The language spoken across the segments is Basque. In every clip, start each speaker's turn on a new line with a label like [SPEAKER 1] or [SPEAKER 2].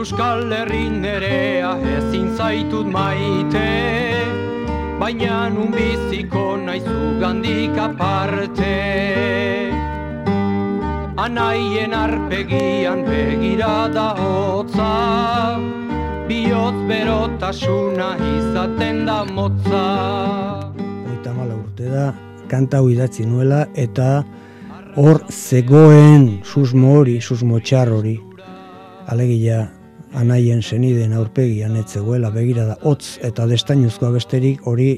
[SPEAKER 1] Euskal Herrin nerea ezin zaitut maite, baina nun biziko naizu gandik aparte. Anaien arpegian begirada hotza, bihotz berotasuna izaten da motza.
[SPEAKER 2] 34 urte da, kanta hau idatzi nuela, eta hor zegoen susmo hori, susmo txar hori, alegia anaien senideen aurpegian ez zegoela begirada hotz eta destainuzkoa besterik, hori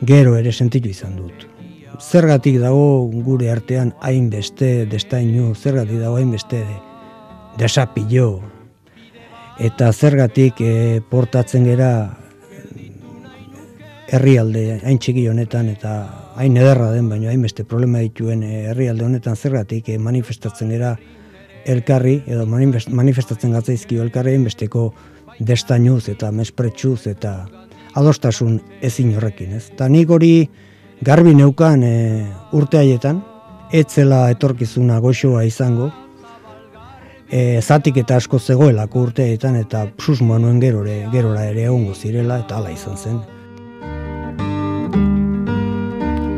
[SPEAKER 2] gero ere sentitu izan dut. Zergatik dago gure artean hainbeste destainu, zergatik dago hainbeste desapillo, eta zergatik portatzen gera herrialde hain txiki honetan eta hain ederra den, baina hainbeste problema dituen herrialde honetan zergatik manifestatzen gera elkarri, edo manifestatzen gatzaizkio elkarri hainbesteko destainuz eta mespretsuz eta adostasun ezin horrekin, ez? Ta nik hori garbi neukan urte haietan, ez zela etorkizuna goxoa izango, zatik eta asko zegoelako urte haietan, eta susmoa nuen gerora ere egongo zirela, eta hala izan zen.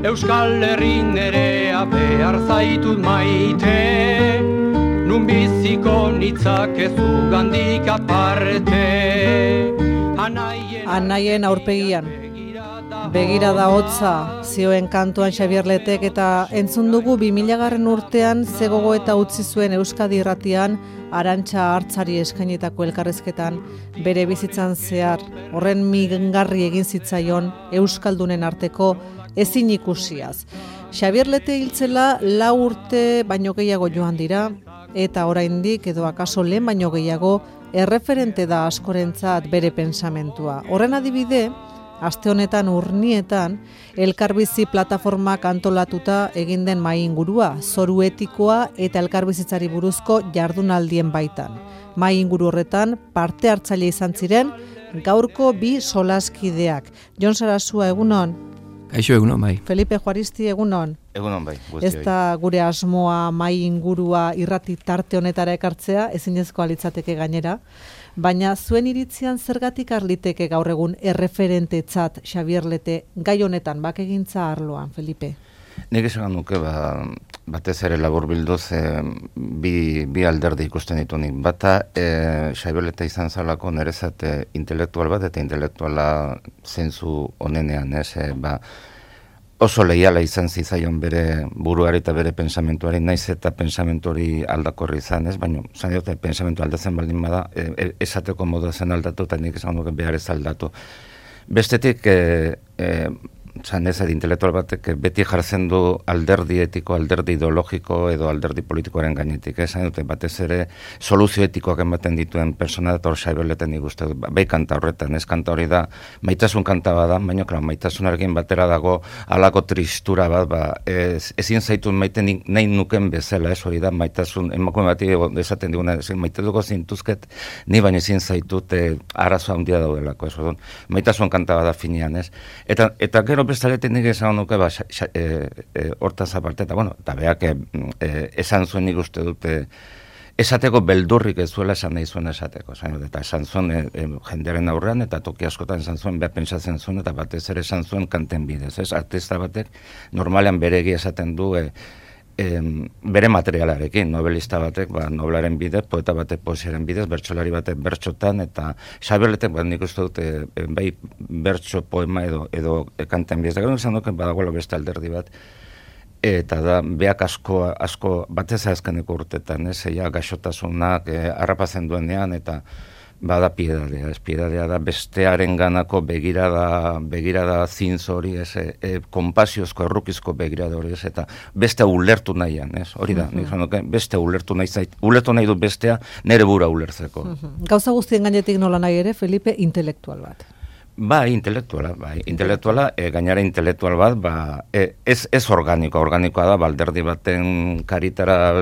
[SPEAKER 1] Euskal Herrin nerea behar zaitut maite, nun biziko nitzakezu gandik aparte.
[SPEAKER 3] Anaien aurpegian begirada hotza zioen kantuan Xabier Letek, eta entzun dugu 2000. Urtean zegogo eta utzi zuen Euskadi Irratian Arantxa Hartzari eskainitako elkarrezketan bere bizitzan zehar horren mingarri egin zitzaion euskaldunen arteko ezin ikusiaz. Xabier Lete hiltzela 4 urte baino gehiago joan dira, eta oraindik edo akaso lehen baino gehiago erreferente da askorentzat bere pensamentua. Horren adibide, aste honetan Urnietan elkarbizi plataformak antolatuta egin den mahai ingurua, zoru etikoa eta elkarbizitzari buruzko jardunaldien baitan. Mahai inguru horretan parte hartzaile izan ziren gaurko 2 solaskideak. Jon Sarasua, egunon?
[SPEAKER 4] Kaixo, egunon, bai.
[SPEAKER 3] Felipe Juaristi, egunon?
[SPEAKER 5] Egunon, bai.
[SPEAKER 3] Ez da gure asmoa mahai ingurua irrati tarte honetara ekartzea, ezinezkoa litzateke gainera, baina zuen iritzian zergatik arliteke gaur egun erreferentetzat Xabier Lete gai honetan bakegintza arloan, Felipe?
[SPEAKER 5] Nik esan nuke, batez ere labur bilduz bi alderdi ikusten ditu nik. Bata, Xabier Lete izan zalako nerezat intelektual bat, eta intelektuala zentzu onenean, oso leiala izan zizaion bere buruari eta bere pensamentuari, naiz eta pensamentu hori aldakorri izan, baina zan diote pensamentu aldatzen baldin bada, esateko modu zen aldatu, eta nik esan duke behar ez aldatu. Bestetik, zan ez intelektual batek beti jartzen du alderdi etiko, alderdi ideologiko edo alderdi politikoaren gainetik. Zan dute batez ere soluzio etikoak ematen dituen persona eta hor Xabier Lete nik uste dut. Bai kanta horretan, ez kanta hori da, maitasun kanta bada, baina maitasunarekin batera dago halako tristura bat, ezin zaitun maite nahi nuken bezala, ez hori da, maitasun, emakume bati esaten diguna, maite duko zintuzket, ni baina ezin zaitut arazo handia daudelako, ez hori. Maitasun kanta bada finean, ez? Eta gero bestaletik nik esan nuke hortaz aparte, eta beak esan zuen nik uste dute esateko beldurrik ez zuela esan nahi zuen esateko. Eta esan zuen jendearen aurrean, eta toki askotan esan zuen, beha pentsatzen zuen, eta batez ere esan zuen kanten bidez. Artista batek normalean bere egia esaten du bere materialarekin, novelista batek novelaren bidez, poeta batek poesiaren bidez, bertsolari batek bertxotan, eta Xabier Letek nik uste dut bai bertso poema edo kanten bidez. Gero izan duken badagoela beste alderdi bat, eta da beak asko batez azkeneko urtetan, gaixotasunak harrapatzen duenean, eta bada piedadea da bestearen ganako begirada zintz hori, konpasiozko, errukizko begirada hori, eta beste ulertu nahian, hori da, beste ulertu nahi du bestea nere bura ulertzeko.
[SPEAKER 3] Gauza guztien gainetik nola nahi ere, Felipe, intelektual bat.
[SPEAKER 5] Intelektuala, gainara intelektual bat, ez organikoa da, alderdi baten karitara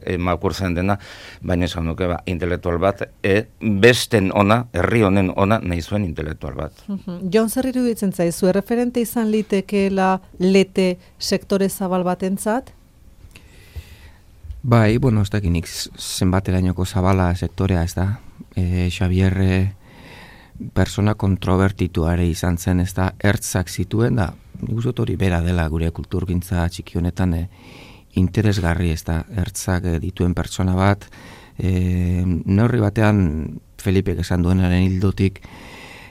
[SPEAKER 5] emakurtzen dena, baina esan duke, intelektual bat, besten ona, herri honen ona, nahi zuen intelektual bat.
[SPEAKER 3] Jon, zer iruditzen zaizu, erreferente izan litekeela Lete sektore zabal batentzat?
[SPEAKER 4] Bai, ez dakinik zenbaterainoko zabala sektorea, ez da? Xabier persona kontrobertituare izan zen, ez da, ertzak zituen, da, nik uste hori bera dela gure kulturgintza txiki honetan interesgarri, ez da, ertzak dituen pertsona bat, neurri batean Felipek esan duenaren hildotik,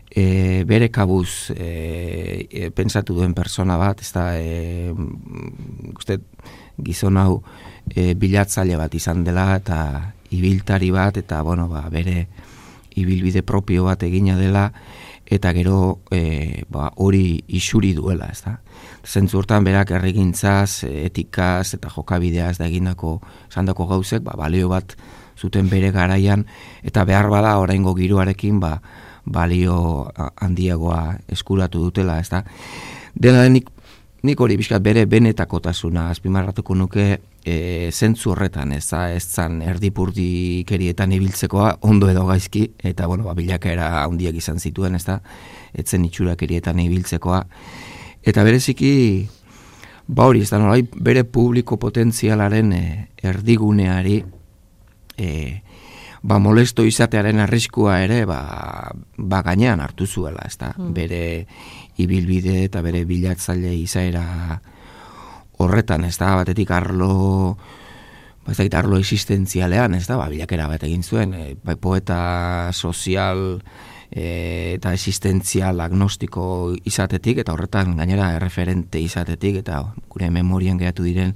[SPEAKER 4] bere kabuz pentsatu duen persona bat, ez da, uste gizon hau bilatzaile bat izan dela, eta ibiltari bat, eta bueno, bere ibilbide propio bat egina dela, eta gero hori isuri duela, ez da. Zentzu hortan berak herrigintzaz, etikaz eta jokabideaz da egindako sandako gauzek, balio bat zuten bere garaian, eta behar bada oraingo giroarekin balio handiagoa eskuratu dutela, ez da. Dena nik hori bizkat bere benetakotasuna azpimarratuko nuke zentzu horretan, ez zan erdipurdikerietan ibiltzekoa ondo edo gaizki, eta bilakaera handiak izan zituen, ez da, etzen itxurakerietan ibiltzekoa, eta bereziki hori, ez da, nolai, bere publiko potentzialaren erdiguneari molesto izatearen arriskua ere gainean hartu zuela, ez da, bere ibilbide eta bere bilatzaile izaera horretan, ez da, batetik arlo existentzialean, ez da, bilakera bat egin zuen, poeta sozial eta existentzial agnostiko izatetik, eta horretan gainera erreferente izatetik, eta gure memorian geratu diren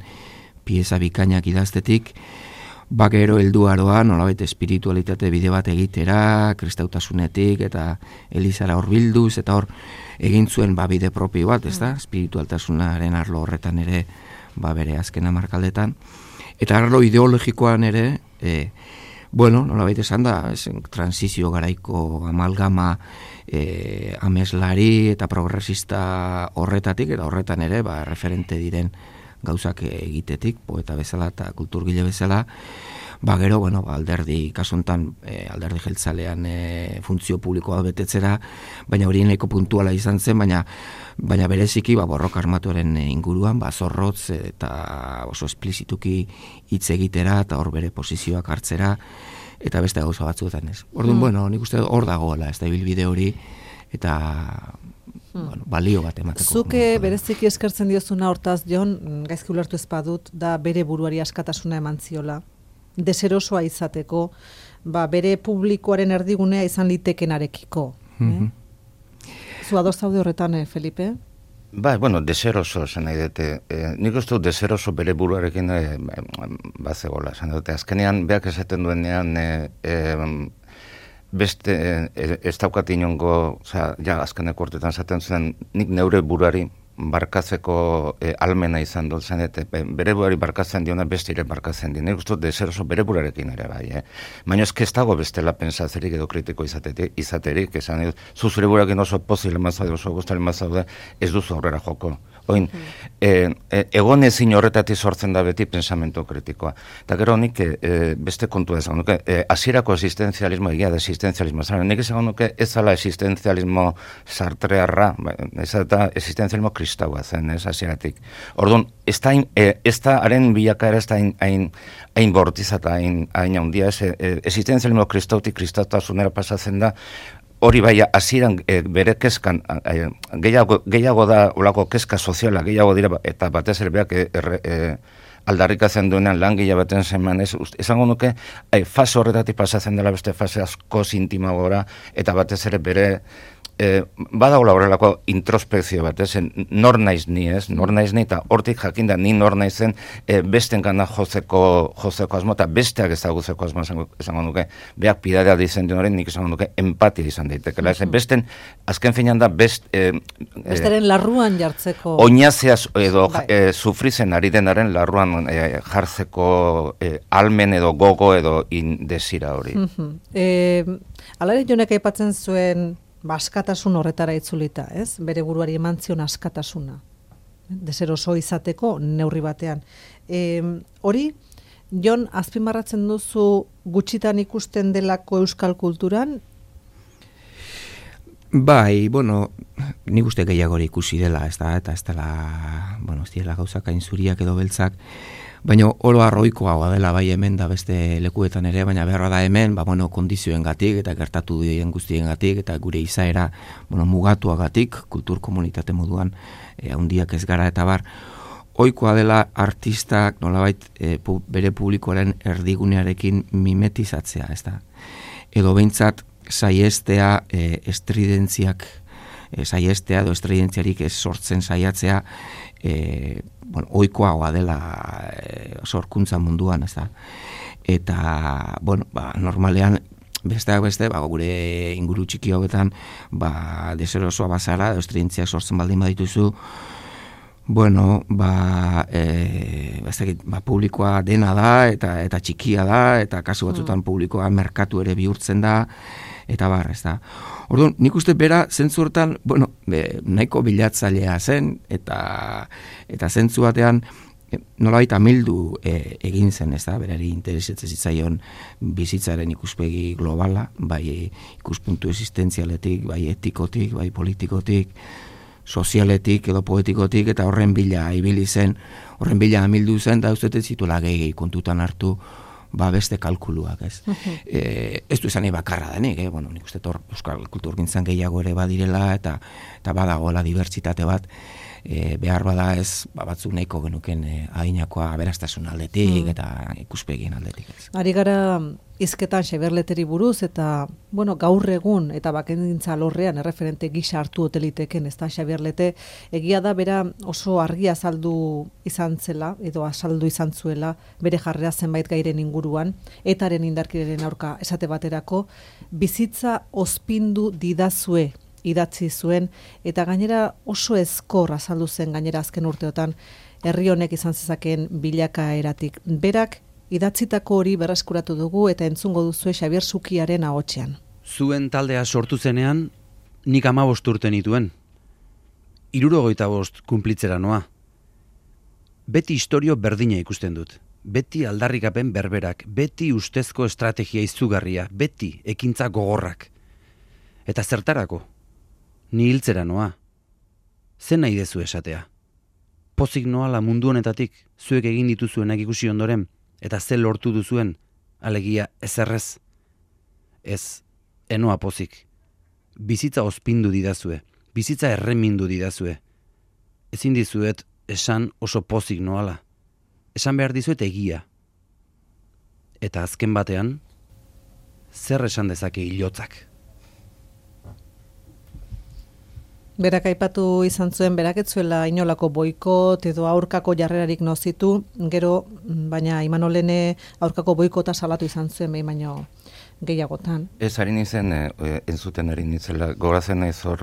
[SPEAKER 4] pieza bikainak idaztetik, gero helduaroa nolabait espiritualitate bide bat egitera, kristautasunetik eta elizara horbilduz, eta hor egin zuen bide propio bat, ez da, espiritualtasunaren arlo horretan ere bere azken hamarkaldetan, eta arlo ideologikoan ere nolabait esan da, transizio garaiko amalgama ameslari eta progresista horretatik, eta horretan ere referente diren gauzak egitetik, poeta bezala eta kulturgile bezala, gero, alderdi, kasuntan alderdi jeltzalean funtzio publikoa betetzera, baina hori nahiko puntuala izan zen, baina bereziki borroka armatuaren inguruan, zorrotz eta oso esplizituki hitz egitera, eta hor bere posizioak hartzera, eta beste gauza batzuetan ez. Orduan, nik uste hor dagoela, ez da ibilbide hori, eta balio bat emateko.
[SPEAKER 3] Zuke bereziki eskertzen diozuna hortaz, Jon, gaizki ulertu ez badut, da bere buruari askatasuna eman ziola, deserosoa izateko, bere publikoaren erdigunea izan litekenarekiko. Zu ados zaude horretan, Felipe?
[SPEAKER 5] Deseroso esan nahi dute. Nik uste dut deseroso bere buruarekin bazegola. Esan dute, azkenean, beak esaten duenean, beste, ez daukat inongo, azkeneko urtetan zaten zuen, nik neure buruari barkatzeko almena izan dut zen, eta bere buruari barkatzen diona beste ere barkatzen di. Nik uste dut deseroso bere buruarekin ere bai. Baina ez dago bestela pensatzerik edo kritiko izaterik, esan dut, zuzure buruarekin oso pozile mazaude, oso guztale mazaude, ez duzu aurrera joko. Oin, egon ezin horretatik sortzen da beti pensamentu kritikoa. Eta gero nik beste kontua esan nuke, hasierako existenzialismo, egia da existenzialismo, nik esan nuke ez zala existenzialismo sartrearra, ez da existenzialismo kristaua zen, ez hasieratik. Orduan, ez da haren bilakaera ez da hain bortizata, hain handia, existenzialismo kristautik kristautasunera pasatzen da, hori hasieran bere kezkan, gehiago da olako kezka soziala, gehiago dira, eta batez ere beak aldarrikatzen duenean lan baten zeman, esango nuke, fase horretatik pasatzen dela beste fase asko intimagora, eta batez ere bere badagoela horrelako introspekzio bat, nor naiz ni, eta hortik jakinda ni nor naizen besten gana jozeko asmo, eta besteak ezagutzeko asmo esango nuke, beak pidadea dizen duen horrein, nik esango nuke empatia izan daitekela, besten, azken finean da
[SPEAKER 3] besteren larruan jartzeko
[SPEAKER 5] oinazeaz edo sufrizen ari denaren larruan jartzeko almen edo gogo edo indesira hori.
[SPEAKER 3] Alare Jonek aipatzen zuen askatasun horretara itzulita, ez? Bere buruari eman zion askatasuna. Deseroso izateko neurri batean. Hori, Jon, azpimarratzen duzu gutxitan ikusten delako euskal kulturan?
[SPEAKER 4] Bai, nik uste gehiago ikusi dela, ez da, eta ez dela, ez dela gauzak hain zuriak edo beltzak, Baina oro arroikoa dela bai hemen da beste lekuetan ere, baina beharra da hemen, kondizioengatik eta gertatu diren guztiengatik eta gure izaera, mugatuagatik, kultur komunitate moduan, handiak ez gara eta bar, ohikoa dela artistak nolabait bere publikoaren erdigunearekin mimetizatzea, ez da? Edo behintzat saiestea estridentziak, saiestea edo estridentziarik ez sortzen saiatzea, ohikoa dela sorkuntza munduan, ez da? Eta, normalean, besteak beste, gure inguru txiki hauetan, deserosoa bazara, edo estridentziak sortzen baldin badituzu, publikoa dena da, eta txikia da, eta kasu batzutan publikoa merkatu ere bihurtzen da, eta bar, ez da. Orduan, nik uste bera, zentzu hortan, nahiko bilatzailea zen, eta zentzu batean, nolabait amildu egin zen, ez da, berari interesatzen zitzaion bizitzaren ikuspegi globala, bai ikuspuntu existentzialetik, bai etikotik, bai politikotik, sozialetik edo poetikotik, eta horren bila ibili zen, horren bila amildu zen, da uste zituela gehi kontutan hartu, beste kalkuluak, ez. Ez du izan bakarra denik, nik uste euskal kulturgintzan gehiago ere badirela, eta badagoela dibertsitate bat, behar bada ez, batzuk nahiko genuken adinakoa aberastasun aldetik, eta ikuspegien aldetik, ez.
[SPEAKER 3] Ari gara hizketan Xabier buruz, eta, gaur egun, eta bakendintza alorrean, erreferente gisa hartu hoteliteken, ez da, Xabier Lete, egia da, bera oso argi azaldu izan zela, edo azaldu izan zuela, bere jarrera zenbait gairen inguruan, etaren indarkireren aurka esate baterako, bizitza ospindu didazue, idatzi zuen, eta gainera oso ezkor azaldu zen gainera azken urteotan herri honek izan zezakeen bilakaeratik. Berak idatzitako hori berreskuratu dugu eta entzungo duzue Xabier Sukiaren ahotsean.
[SPEAKER 6] Zuen taldea sortu zenean, nik 15 urte nituen. 75 kunplitzera noa. Beti istorio berdina ikusten dut. Beti aldarrikapen berberak, beti ustezko estrategia izugarria, beti ekintza gogorrak. Eta zertarako? Ni hiltzera noa. Zen nahi dezu esatea. Pozik noala mundu honetatik, zuek egin dituzuenak ikusi ondoren, eta ze lortu duzuen, alegia ezerrez. Ez, enoa pozik. Bizitza ospindu didazue, bizitza erremindu didazue. Ezin dizuet esan oso pozik noala. Esan behar dizuet egia. Eta azken batean, zer esan dezake hilotzak.
[SPEAKER 3] Berak aipatu izan zuen, berak ez zuela inolako boikot edo aurkako jarrerarik nozitu, gero, baina Imanolene aurkako boikota salatu izan zuen, baino gehiagotan.
[SPEAKER 5] Ez harin izen, entzuten harin izela, gorazen ez hor,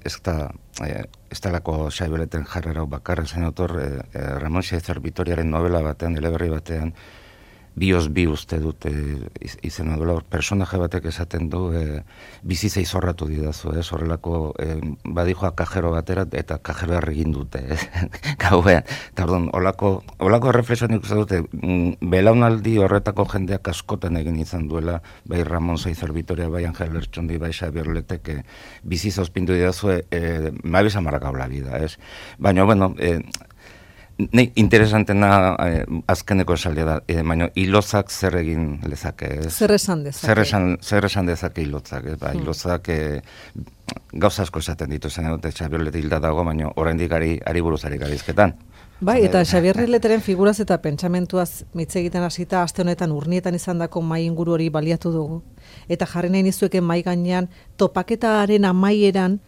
[SPEAKER 5] ez talako Xaibeleten jarrera bakarra zen otor, Ramon Xaizer Vitoriaren novela batean, eleberri batean, Bios bi uste dut izena duela, personaje batek esaten du bizitza izorratu didazu, horrelako badijoa kajero batera eta kajero egin dute, gauean. Eta orduan, olako reflexioan ikusten dute, belaunaldi horretako jendeak askotan egin izan duela, bai Ramon Xaizer Vitoria, bai Angel Lertxundi, bai Xabier Letek, bizitza ospindu didazu, me habéis amargado la vida, ez? Baina, bueno, interesantena azkeneko esaldia da, baina hilozak zer egin lezake.
[SPEAKER 3] Zer esan dezake.
[SPEAKER 5] Zer esan dezake hilozak. Hilozak gauza asko esaten ditu zen, Xabier Lete hilda dago, baina oraindik ari buruzari garizketan.
[SPEAKER 3] Bai, eta Xabier Leteren figuraz eta pentsamentuaz hitz egiten hasita aste honetan urnietan izandako mai inguru hori baliatu dugu. Eta jarri nahi nizueken mai gainean topaketaren amaieran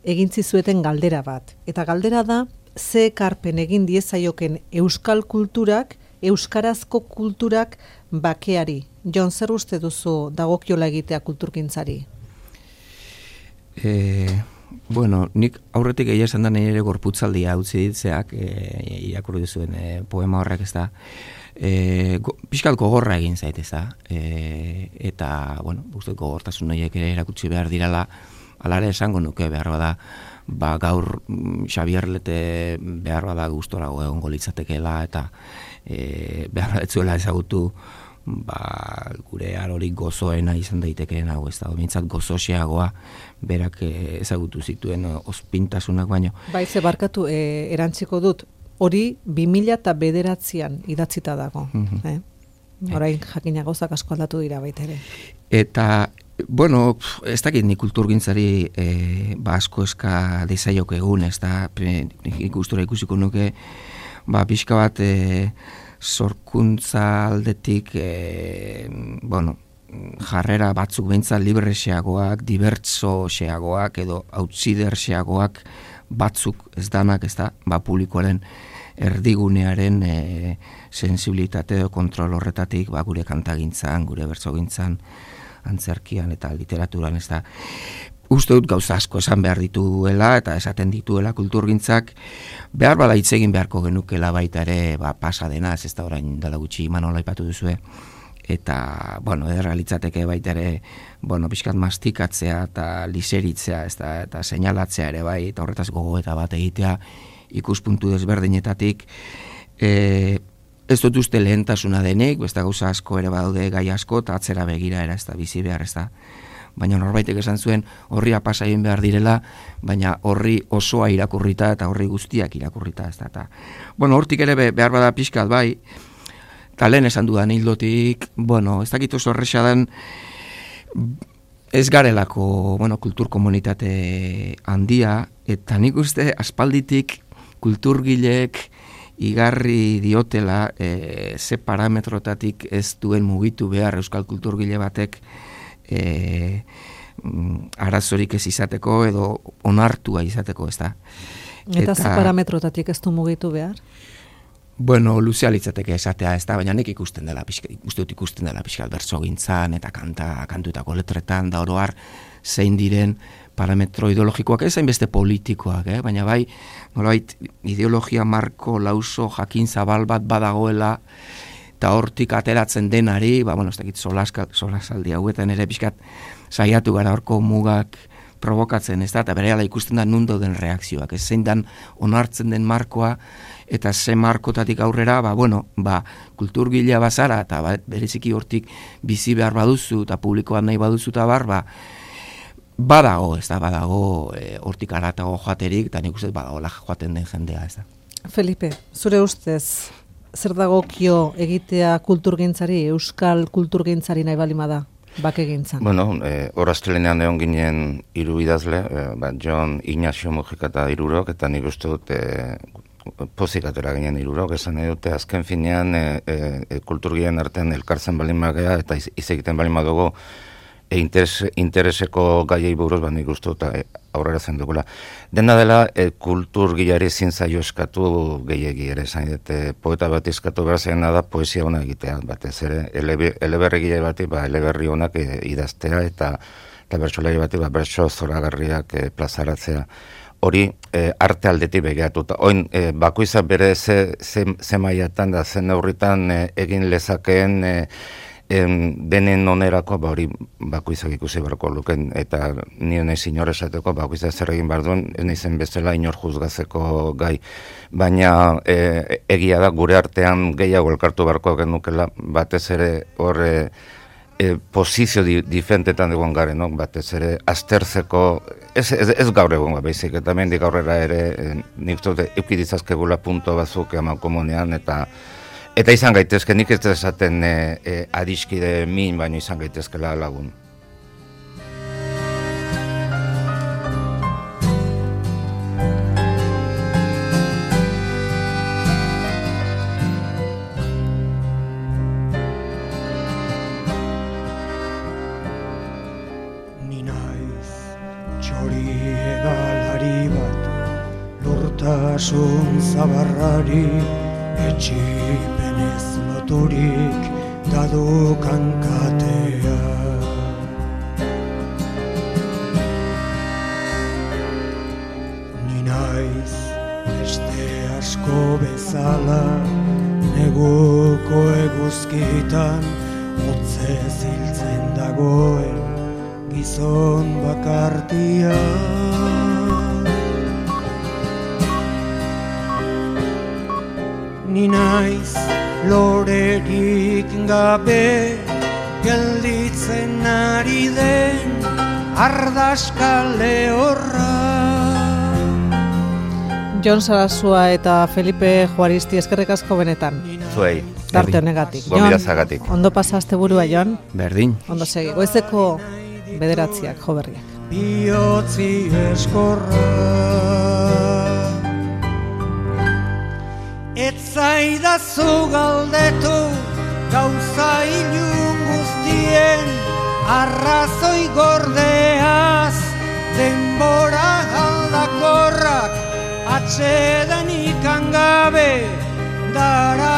[SPEAKER 3] egintzi zueten galdera bat. Eta galdera da, ze ekarpen egin diezaioken euskal kulturak, euskarazko kulturak bakeari. Jon, zer uste duzu dagokiola egitea kulturgintzari?
[SPEAKER 4] Nik aurretik egia esan da nahi ere gorputzaldia utzi ditzeak, irakurri duzuen poema horrek, ez da, pixkat gogorra egin zait, ez da, eta, uste gogortasun horiek ere erakutsi behar dirala, alare esango nuke behar bada, gaur Xabier Lete behar bada gustorago egongo litzatekeela eta behar batzuela ezagutu gure arorik gozoena izan daitekeen hau, ez da, mintzat gozoxeagoa berak ezagutu zituen ospintasunak baino.
[SPEAKER 3] Bai, ze barkatu, erantziko dut, hori 2009an idatzita dago. Orain jakina gauzak asko aldatu dira baita ere.
[SPEAKER 4] Eta, bueno, ez dakit ni kulturgintzari asko eska dezaiok egun, ez da, ikustura ikusiko nuke, pixka bat sorkuntza aldetik, bueno, jarrera batzuk behintzat libreseagoak, dibertsoseagoak edo outsiderseagoak batzuk ez danak, ez da, publikoaren erdigunearen sensibilitate edo kontrol horretatik gure kantagintzan, gure bertsogintzan, antzerkian eta literaturan, ez da. Uste dut gauza asko esan behar dituela eta esaten dituela kulturgintzak, behar bada hitz egin beharko genukela baita ere pasa dena, ez da orain dela gutxi Manola aipatu duzue, eta, bueno, errealitzateke baita ere, bueno, pixkat mastikatzea eta liseritzea, ez da, eta seinalatzea ere bai, eta horretaz gogoeta bat egitea ikuspuntu desberdinetatik, ez dut uste lehentasuna denik, beste gauza asko ere badaude gai asko, eta atzera begira era, ez da, bizi behar, ez da. Baina norbaitek esan zuen horria pasa egin behar direla, baina horri osoa irakurrita eta horri guztiak irakurrita, ez da. Eta, bueno, hortik ere behar bada pixkat bai, eta lehen esan dudan hildotik, bueno, ez dakit oso horreza den, ez garelako, bueno, kultur komunitate handia, eta nik uste aspalditik kulturgileek igarri diotela ze parametrotatik ez duen mugitu behar euskal kulturgile batek arazorik ez izateko edo onartua izateko, ez da.
[SPEAKER 3] Eta ze parametrotatik ez du mugitu behar?
[SPEAKER 4] Bueno, luzea litzateke esatea, ez da, baina nik ikusten dela pixkat bertsogintzan eta kantutako letretan, da oro har zein diren parametro ideologikoak, ez hainbeste politikoak, baina bai, nolabait ideologia marko lauso jakin zabal bat badagoela, eta hortik ateratzen denari, bueno, ez dakit solasaldi hauetan ere pixkat saiatu gara horko mugak provokatzen, ez da, eta berehala ikusten da nundo den reakzioak, ez zein dan onartzen den markoa, eta ze markotatik aurrera, kulturgilea bazara, eta bereziki hortik bizi behar baduzu, eta publikoan nahi baduzu, eta badago, ez da, hortik aratago joaterik, eta nik uste badagoela joaten den jendea, ez da.
[SPEAKER 3] Felipe, zure ustez, zer dagokio egitea kulturgintzari, euskal kulturgintzari nahi balima da, bakegintzan?
[SPEAKER 5] Bueno, horaztelenean egon ginen 3 idazle, Jon Ignacio Mujika eta 3, eta nik uste dut pozik atera ginen 3, esan nahi dute azken finean kulturgien artean elkartzen balin magea eta hitz egiten balin madugu intereseko gaiei buruz nik uste dut aurrera zen dugula. Dena dela kulturgileari ezin zaio eskatu gehiegi ere, esan dute poeta bat eskatu behar zena da poesia ona egitea, batez ere eleberrigile bati eleberri onak idaztea eta bertsolari bati bertso zoragarriak plazaratzea. Hori arte aldetik begiratuta. Oin bakoitzak bere ze mailatan da zen neurritan egin lezakeen denen onerako hori bakoitzak ikusi beharko luken, eta nire nahi inor esateko bakoitzak zer egin behar duen, ez nahizen bezala inor juzgatzeko gai. Baina egia da gure artean gehiago elkartu beharko genukela, batez ere horre posizio diferentetan egon garen, no? Batez ere aztertzeko, ez gaur egon baizik, eta mendik aurrera ere nik dute eukidizazkegula punto batzuk eman komunean, eta izan gaitezke, nik ez esaten adiskide min, baina izan gaitezkela lagun.
[SPEAKER 2] Ni naiz txori egalari bat, lurtasun zabarrari, etxipenez loturik dadukan katea. Ni naiz beste asko bezala, neguko eguzkitan hotze ziltzen dagoen gizon bakartia. Ni naiz lorerik gabe gelditzen ari den ardaska lehorra.
[SPEAKER 3] Jon Sarasua eta Felipe Juaristi, eskerrik asko benetan.
[SPEAKER 5] Zuei.
[SPEAKER 3] Tarte honegatik.
[SPEAKER 5] Gonbidazagatik.
[SPEAKER 3] Ondo pasa asteburua, Jon.
[SPEAKER 4] Berdin.
[SPEAKER 3] Ondo segi. Goizeko 9:00 jo berriak.
[SPEAKER 1] Biotzi eskorra etzaidazu galdetu gauza ilun guztien arrazoi gordeaz denbora aldakorrak atxedan ikan gabe dara